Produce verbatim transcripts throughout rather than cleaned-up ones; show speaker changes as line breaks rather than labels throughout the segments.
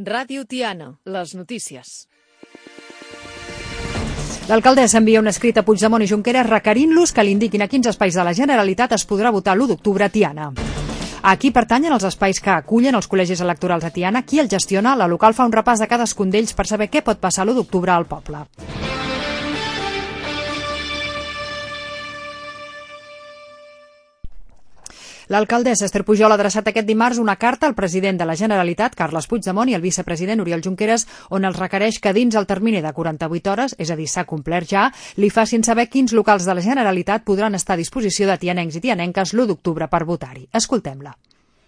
Ràdio Tiana, les notícies.
L'alcaldessa envia un escrit a Puigdemont i Junqueras requerint-los que li indiquin a quins espais de la Generalitat es podrà votar l'u d'octubre a Tiana. A qui pertanyen els espais que acullen els col·legis electorals a Tiana, qui el gestiona, la local fa un repàs de cadascun d'ells per saber què pot passar l'u d'octubre al poble. L'alcaldessa Esther Pujol ha adreçat aquest dimarts una carta al president de la Generalitat, Carles Puigdemont, i al vicepresident Oriol Junqueras, on els requereix que dins el termini de quaranta-vuit hores, és a dir, s'ha complert ja, li facin saber quins locals de la Generalitat podran estar a disposició de tianencs i tianenques l'u d'octubre per votar-hi. Escoltem-la.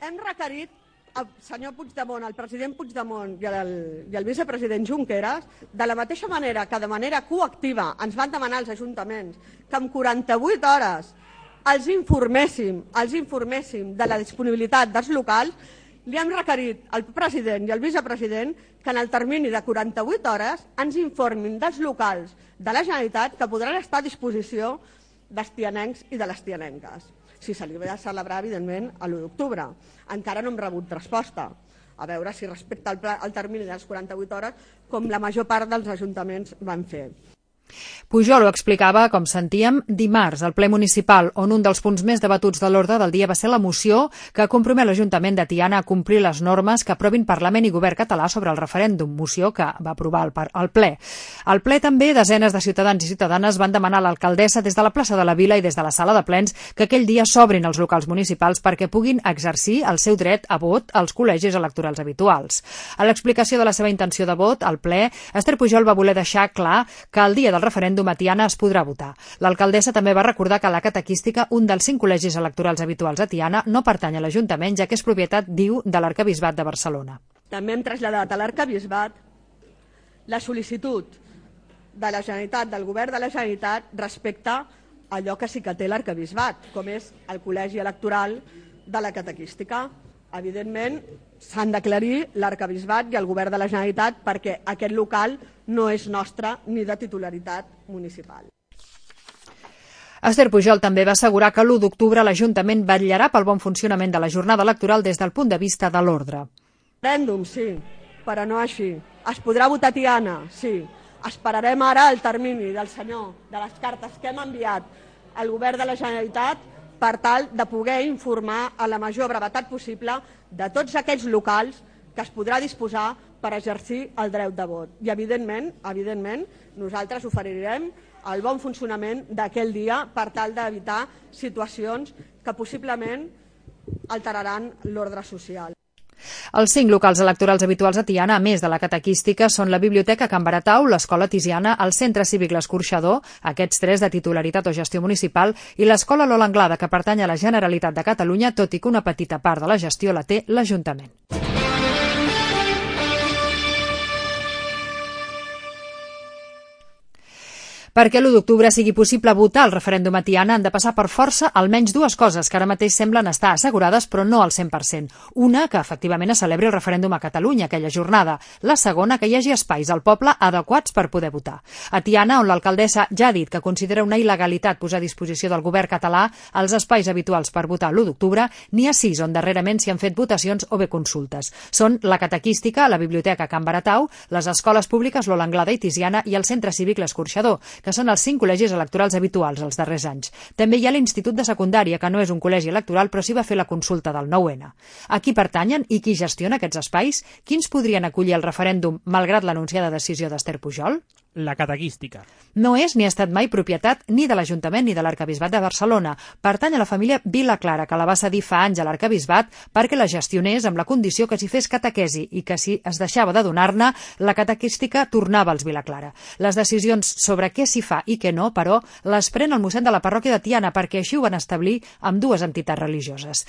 Hem requerit al senyor Puigdemont, al president Puigdemont i al, i al vicepresident Junqueras, de la mateixa manera que de manera coactiva ens van demanar els ajuntaments que en quaranta-vuit hores els informéssim, els informéssim de la disponibilitat dels locals, li hem requerit al president i al vicepresident que en el termini de quaranta-vuit hores ens informin dels locals de la Generalitat que podran estar a disposició dels tianencs i de les tianenques. Si se li va celebrar, evidentment, a l'u d'octubre. Encara no hem rebut resposta. A veure si respecta el, pla, el termini de les quaranta-vuit hores, com la major part dels ajuntaments van fer.
Pujol ho explicava, com sentíem, dimarts al ple municipal, on un dels punts més debatuts de l'ordre del dia va ser la moció que compromet l'Ajuntament de Tiana a complir les normes que aprovin Parlament i Govern català sobre el referèndum, moció que va aprovar el, el ple. Al ple també desenes de ciutadans i ciutadanes van demanar a l'alcaldessa des de la plaça de la Vila i des de la sala de plens que aquell dia s'obrin els locals municipals perquè puguin exercir el seu dret a vot als col·legis electorals habituals. A l'explicació de la seva intenció de vot al ple, Esther Pujol va voler deixar clar que el dia del referèndum a Tiana es podrà votar. L'alcaldessa també va recordar que a la catequística, un dels cinc col·legis electorals habituals a Tiana, no pertany a l'Ajuntament, ja que és propietat, diu, de l'Arquebisbat de Barcelona.
També hem traslladat a l'Arquebisbat la sol·licitud de la Generalitat, del Govern de la Generalitat, respecte a allò que sí que té l'Arquebisbat, com és el col·legi electoral de la catequística. Evidentment, s'han d'aclarir l'Arquebisbat i el Govern de la Generalitat perquè aquest local no és nostre ni de titularitat municipal.
Esther Pujol també va assegurar que l'u d'octubre l'Ajuntament vetllarà pel bon funcionament de la jornada electoral des del punt de vista de l'ordre.
Referèndum, sí, però no així. Es podrà votar a Tiana, sí. Esperarem ara el termini del senyor de les cartes que hem enviat al Govern de la Generalitat per tal de poder informar a la major brevetat possible de tots aquells locals que es podrà disposar per exercir el dret de vot. I, evidentment, evidentment nosaltres oferirem el bon funcionament d'aquell dia per tal d'evitar situacions que possiblement alteraran l'ordre social.
Els cinc locals electorals habituals a Tiana, a més de la catequística, són la Biblioteca Can Baratau, l'Escola Tiziana, el Centre Cívic L'Escorxador, aquests tres de titularitat o gestió municipal, i l'Escola Lola Anglada, que pertany a la Generalitat de Catalunya, tot i que una petita part de la gestió la té l'Ajuntament. Perquè l'u d'octubre sigui possible votar el referèndum a Tiana han de passar per força almenys dues coses que ara mateix semblen estar assegurades però no al cent per cent. Una, que efectivament es celebri el referèndum a Catalunya aquella jornada. La segona, que hi hagi espais al poble adequats per poder votar. A Tiana, on l'alcaldessa ja ha dit que considera una il·legalitat posar a disposició del govern català els espais habituals per votar l'u d'octubre, n'hi ha sis on darrerament s'hi han fet votacions o bé consultes. Són la catequística, la Biblioteca Can Baratau, les escoles públiques Lola Anglada i Tiziana i el Centre Cívic L'Escorxador, que són els cinc col·legis electorals habituals els darrers anys. També hi ha l'Institut de Secundària, que no és un col·legi electoral, però sí va fer la consulta del nou ene. A qui pertanyen i qui gestiona aquests espais? Quins podrien acollir el referèndum, malgrat l'anunciada decisió d'Esther Pujol?
La catequística.
No és ni ha estat mai propietat ni de l'Ajuntament ni de l'Arquebisbat de Barcelona. Pertany a la família Vilaclara, que la va cedir fa anys a l'Arquebisbat perquè la gestionés amb la condició que s'hi fes catequesi i que si es deixava de donar-ne, la catequística tornava als Vilaclara. Les decisions sobre què s'hi fa i què no, però, les pren el mossèn de la parròquia de Tiana perquè així ho van establir amb dues entitats religioses.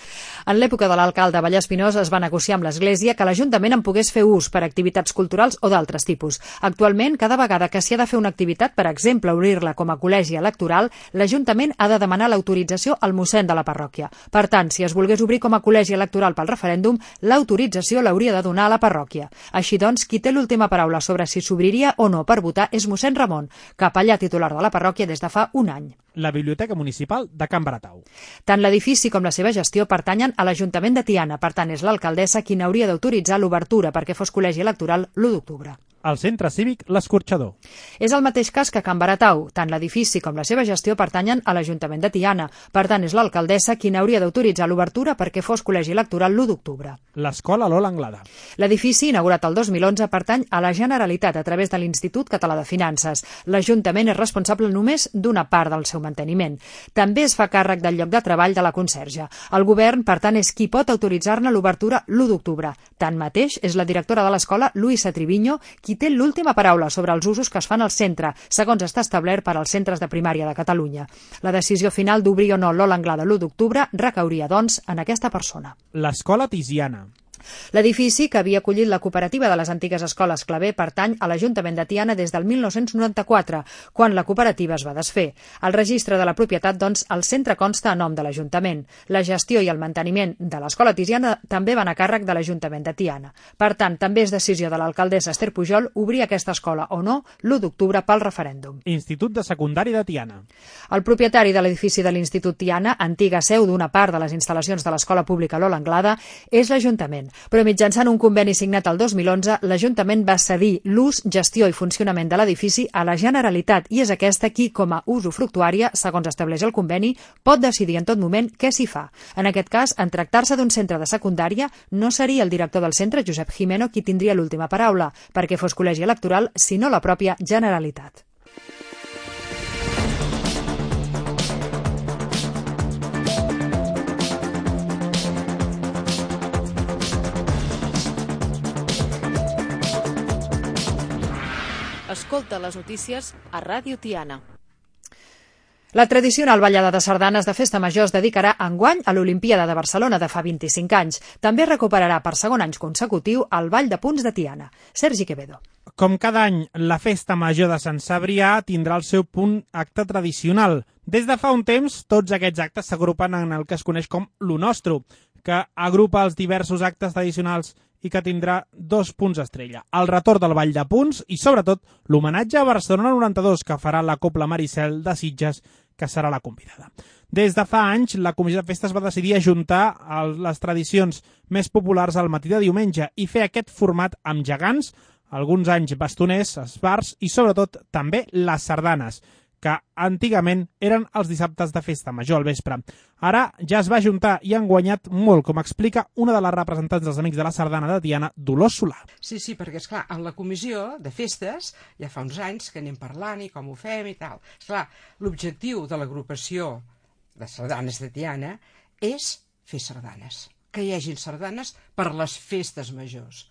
En l'època de l'alcalde Vallespinós es va negociar amb l'Església que l'Ajuntament en pogués fer ús per activitats culturals o d'altres tipus. Actualment, cada vegada que si ha de fer una activitat, per exemple, obrir-la com a col·legi electoral, l'Ajuntament ha de demanar l'autorització al mossèn de la parròquia. Per tant, si es volgués obrir com a col·legi electoral pel referèndum, l'autorització l'hauria de donar a la parròquia. Així doncs, qui té l'última paraula sobre si s'obriria o no per votar és mossèn Ramon, capellà titular de la parròquia des de fa un any.
La Biblioteca Municipal de Can Baratau.
Tant l'edifici com la seva gestió pertanyen a l'Ajuntament de Tiana, per tant és l'alcaldessa qui n'hauria d'autoritzar l'obertura perquè fos col·legi electoral l'u d'octubre.
El Centre Cívic L'Escorxador.
És el mateix cas que Can Baratau. Tant l'edifici com la seva gestió pertanyen a l'Ajuntament de Tiana. Per tant, és l'alcaldessa qui n'hauria d'autoritzar l'obertura perquè fos col·legi electoral l'u d'octubre.
L'Escola Lola Anglada.
L'edifici, inaugurat el dos mil onze, pertany a la Generalitat a través de l'Institut Català de Finances. L'Ajuntament és responsable només d'una part del seu manteniment. També es fa càrrec del lloc de treball de la conserge. El govern, per tant, és qui pot autoritzar-ne l'obertura l'u d'octubre. Tanmateix, és la directora de l'escola, Luisa Triviño, qui té l'última paraula sobre els usos que es fan al centre, segons està establert per als centres de primària de Catalunya. La decisió final d'obrir o no l'Ola Anglada l'u d'octubre recauria, doncs, en aquesta persona.
L'Escola Tiziana.
L'edifici, que havia acollit la cooperativa de les antigues escoles Clavé, pertany a l'Ajuntament de Tiana des del mil nou-cents noranta-quatre, quan la cooperativa es va desfer. Al registre de la propietat, doncs, el centre consta a nom de l'Ajuntament. La gestió i el manteniment de l'Escola Tiziana també van a càrrec de l'Ajuntament de Tiana. Per tant, també és decisió de l'alcaldessa Esther Pujol obrir aquesta escola o no l'u d'octubre pel referèndum.
Institut de Secundari de Tiana.
El propietari de l'edifici de l'Institut Tiana, antiga seu d'una part de les instal·lacions de l'Escola Pública Lola Anglada, és l'Ajuntament. Però mitjançant un conveni signat el dos mil onze, l'Ajuntament va cedir l'ús, gestió i funcionament de l'edifici a la Generalitat i és aquesta qui, com a usufructuària, segons estableix el conveni, pot decidir en tot moment què s'hi fa. En aquest cas, en tractar-se d'un centre de secundària, no seria el director del centre, Josep Jimeno, qui tindria l'última paraula, perquè fos col·legi electoral, sinó la pròpia Generalitat.
Escolta les notícies a Ràdio Tiana.
La tradicional ballada de sardanes de Festa Major es dedicarà enguany a l'Olimpíada de Barcelona de fa vint-i-cinc anys. També recuperarà per segon any consecutiu el Ball de Punts de Tiana. Sergi Quevedo.
Com cada any, la Festa Major de Sant Cebrià tindrà el seu punt acte tradicional. Des de fa un temps, tots aquests actes s'agrupen en el que es coneix com l'U Nostro, que agrupa els diversos actes tradicionals i que tindrà dos punts estrella. El retorn del Ball de Punts i, sobretot, l'homenatge a Barcelona noranta-dos que farà la Cobla Maricel de Sitges, que serà la convidada. Des de fa anys, la Comissió de Festes va decidir ajuntar les tradicions més populars al matí de diumenge i fer aquest format amb gegants, alguns anys bastoners, esbarts i, sobretot, també les sardanes, que antigament eren els dissabtes de Festa Major al vespre. Ara ja es va ajuntar i han guanyat molt, com explica una de les representants dels Amics de la Sardana de Tiana, Dolors Solà.
Sí, sí, perquè, esclar, en la comissió de festes ja fa uns anys que anem parlant i com ho fem i tal. Esclar, l'objectiu de l'agrupació de sardanes de Tiana és fer sardanes, que hi hagin sardanes per les festes majors.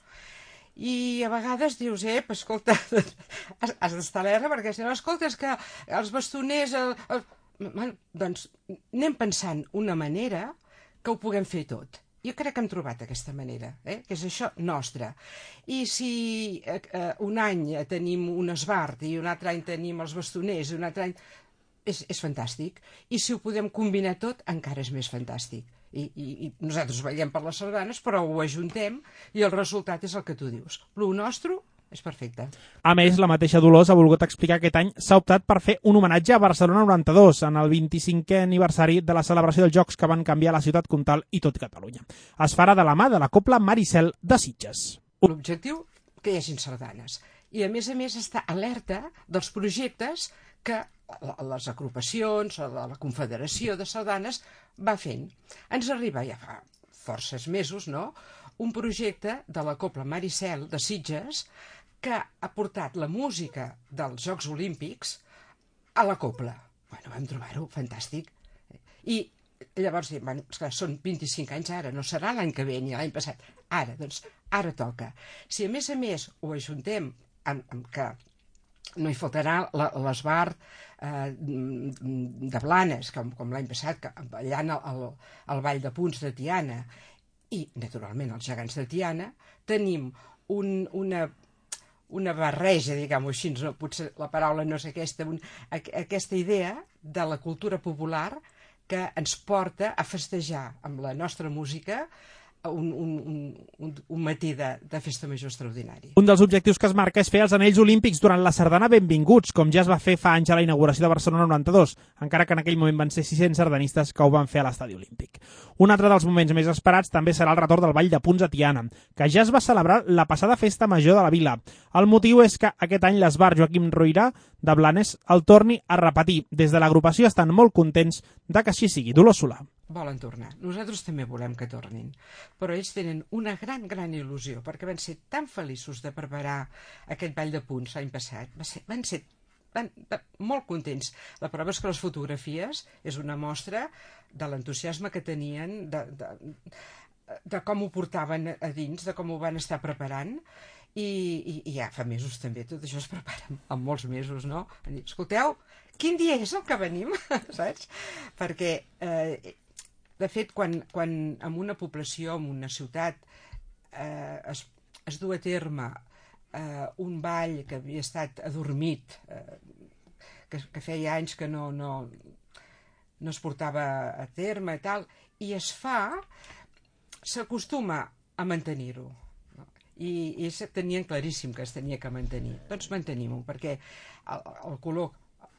I a vegades dius, ep, escolta, has, has d'estar alerta perquè si no, escolta, és que els bastoners... El, el... Bueno, doncs anem pensant una manera que ho puguem fer tot. Jo crec que hem trobat aquesta manera, eh? Que és això nostre. I si eh, un any tenim un esbart i un altre any tenim els bastoners i un altre any... És, és fantàstic. I si ho podem combinar tot, encara és més fantàstic. I, i, i nosaltres veiem per les sardanes, però ho ajuntem i el resultat és el que tu dius. L'U Nostre és perfecte.
A més, la mateixa Dolors ha volgut explicar que aquest any s'ha optat per fer un homenatge a Barcelona noranta-dos en el vint-i-cinquè aniversari de la celebració dels Jocs que van canviar la ciutat comtal i tot Catalunya. Es farà de la mà de la Cobla Maricel de Sitges.
L'objectiu, que hi hagin sardanes. I a més a més està alerta dels projectes que les agrupacions o la Confederació de Sardanes va fent. Ens arriba ja fa forces mesos, no?, un projecte de la Cobla Maricel de Sitges que ha portat la música dels Jocs Olímpics a la Cobla. Bueno, vam trobar-ho fantàstic. I llavors, bueno, esclar, són vint-i-cinc anys ara, no serà l'any que ve ni l'any passat. Ara, doncs, ara toca. Si a més a més ho ajuntem amb, amb que no hi faltarà l'esbart eh, de Blanes, com, com l'any passat, que, ballant el, el, el Ball de Punts de Tiana, i, naturalment, els gegants de Tiana, tenim un, una, una barreja, diguem-ho així, no? Potser la paraula no és aquesta, un, aquesta idea de la cultura popular que ens porta a festejar amb la nostra música un, un, un, un matí de, de festa major extraordinari.
Un dels objectius que es marca és fer els anells olímpics durant la sardana Benvinguts, com ja es va fer fa anys a la inauguració de Barcelona noranta-dos, encara que en aquell moment van ser sis-cents sardanistes que ho van fer a l'estadi olímpic. Un altre dels moments més esperats també serà el retorn del Ball de Punts a Tiana, que ja es va celebrar la passada festa major de la vila. El motiu és que aquest any l'Esbar Joaquim Roirà de Blanes el torni a repetir. Des de l'agrupació estan molt contents de que així sigui. Dolors Solà.
Volen tornar. Nosaltres també volem que tornin. Però ells tenen una gran, gran il·lusió, perquè van ser tan feliços de preparar aquest Ball de Punts l'any passat. Va ser, van ser van, van, molt contents. La prova és que les fotografies és una mostra de l'entusiasme que tenien, de, de, de com ho portaven a dins, de com ho van estar preparant. I, i, i ja fa mesos també, tot això es prepara en molts mesos, no? Escolteu, quin dia és el que venim? Saps? Perquè... Eh, De fet, quan, quan en una població, en una ciutat, eh, es, es du a terme eh, un ball que havia estat adormit, eh, que, que feia anys que no, no, no es portava a terme i tal, i es fa, s'acostuma a mantenir-ho. No? I, i ells tenien claríssim que es tenia que mantenir. Doncs mantenim-ho, perquè el, el color,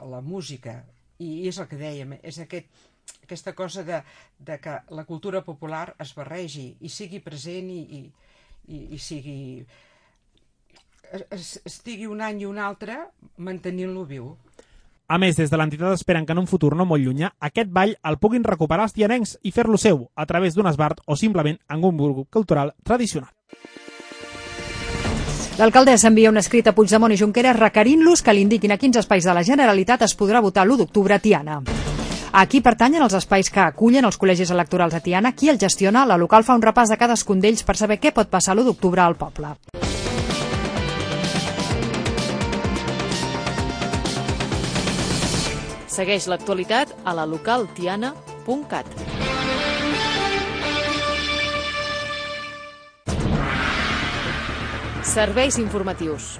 la música, i és el que dèiem, és aquest aquesta cosa de, de que la cultura popular es barregi i sigui present i, i, i sigui es, estigui un any i un altre mantenint-lo viu.
A més, des de l'entitat esperen que en un futur no molt llunyà aquest ball el puguin recuperar els tianencs i fer-lo seu a través d'un esbart o simplement en un grup cultural tradicional.
L'alcaldessa envia un escrit a Puigdemont i Junqueras requerint-los que li indiquin a quins espais de la Generalitat es podrà votar l'u d'octubre a Tiana. A qui pertanyen els espais que acullen els col·legis electorals a Tiana, qui el gestiona, la local fa un repàs de cadascun d'ells per saber què pot passar l'u d'octubre al poble.
Segueix l'actualitat a la local tiana punt cat. Serveis informatius.